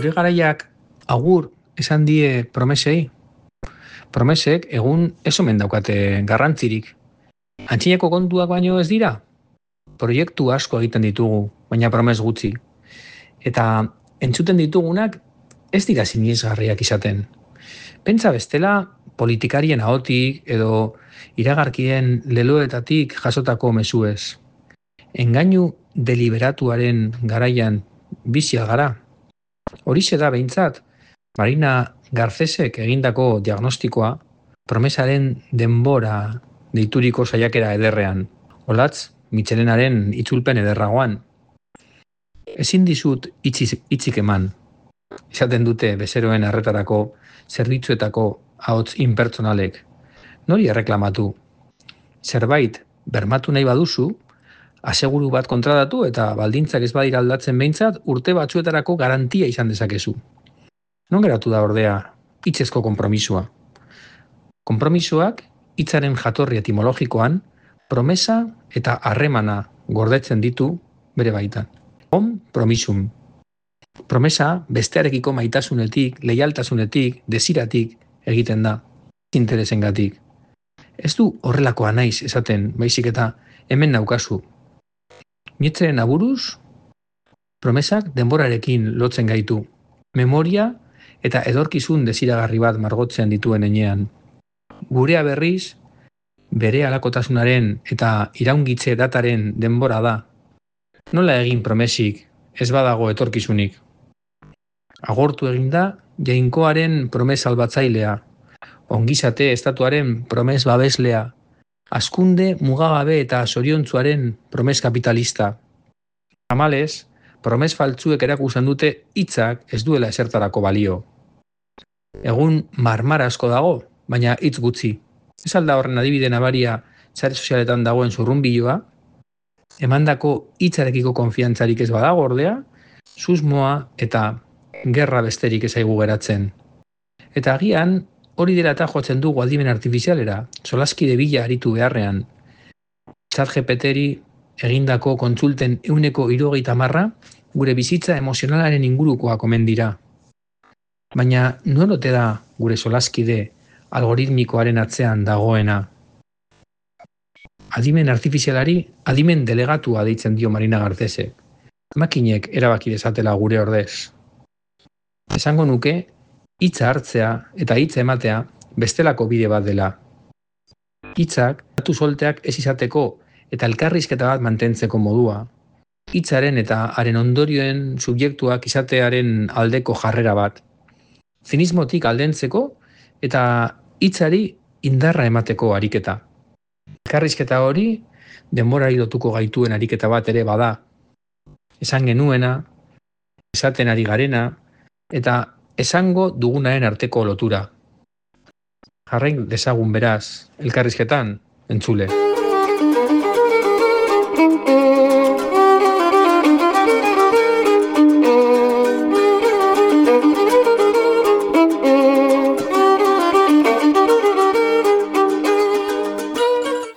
Gure garaiak agur esan die promesei. Promesek egun ez omen daukate garrantzirik. Antzineko kontuak baino ez dira? Proiektu asko egiten ditugu, baina promes gutxi. Eta entzuten ditugunak ez dira sinesgarriak izaten. Pentsa bestela politikarien ahotik edo iragarkien leloetatik jasotako mezuez. Engainu deliberatuaren garaian bizia gara. Horixe da behintzat, Marina Garcesek egindako diagnostikoa promesaren denbora deituriko saiakera ederrean. Olatz, Mitxelenaren itzulpen ederragoan. Ezin dizut hitzik eman. Esaten dute bezeroen arretarako zerbitzuetako ahots inpertsonalek. Nori erreklamatu? Zerbait bermatu nahi baduzu, aseguru bat kontratatu eta baldintzak ez badira aldatzen behintzat urte batzuetarako garantia izan dezakezu. Non geratu da ordea hitzezko konpromisoa? Konpromisoak hitzaren jatorri etimologikoan promesa eta harremana gordetzen ditu bere baitan. Promisum. Promesa bestearekiko maitasunetik, leialtasunetik, desiratik egiten da, interesengatik. Ez du horrelakoa naiz esaten, baizik eta hemen naukazu. Nietzscheren aburuz, promesak denborarekin lotzen gaitu. Memoria eta edorkizun desiragarri bat margotzen dituen enean. Gurea berriz, bere halakotasunaren eta iraungitze dataren denbora da. Nola egin promesik, ez badago etorkizunik. Agortu egin da jainkoaren promes salbatzailea, ongizate estatuaren promes babeslea, hazkunde mugagabe eta zoriontzuaren promes kapitalista. Tamalez, promes faltzuek erakusten dute hitzak ez duela esertarako balio. Egun marmara asko dago, baina hitz gutxi. Ez alda horren adibide nabaria sare sozialetan dagoen zurrunbiloa, emandako hitzarekiko konfiantzarik ez badago ordea, susmoa eta gerra besterik ez zaigu geratzen. Eta agian hori dela eta jotzen dugu adimen artifizialera, solaskide bila aritu beharrean. ChatGPTri egindako kontsulten 130% gure bizitza emozionalaren ingurukoak omen dira. Baina non ote da gure solaskide algoritmikoaren atzean dagoena? Adimen artifizialari adimen delegatua deitzen dio Marina Garcesek. Makinek erabaki dezatela gure ordez. Esango nuke, hitza hartzea eta hitza ematea bestelako bide bat dela. Hitzak, datu solteak ez izateko eta elkarrizketa bat mantentzeko modua. Hitzaren eta haren ondorioen subjektuak izatearen aldeko jarrera bat. Zinismotik aldentzeko eta hitzari indarra emateko ariketa. Elkarrizketa hori denborari lotuko gaituen ariketa bat ere bada. Esan genuena, esaten ari garena, eta esango dugunaren arteko lotura. Jarrain dezagun beraz, elkarrizketan, entzule.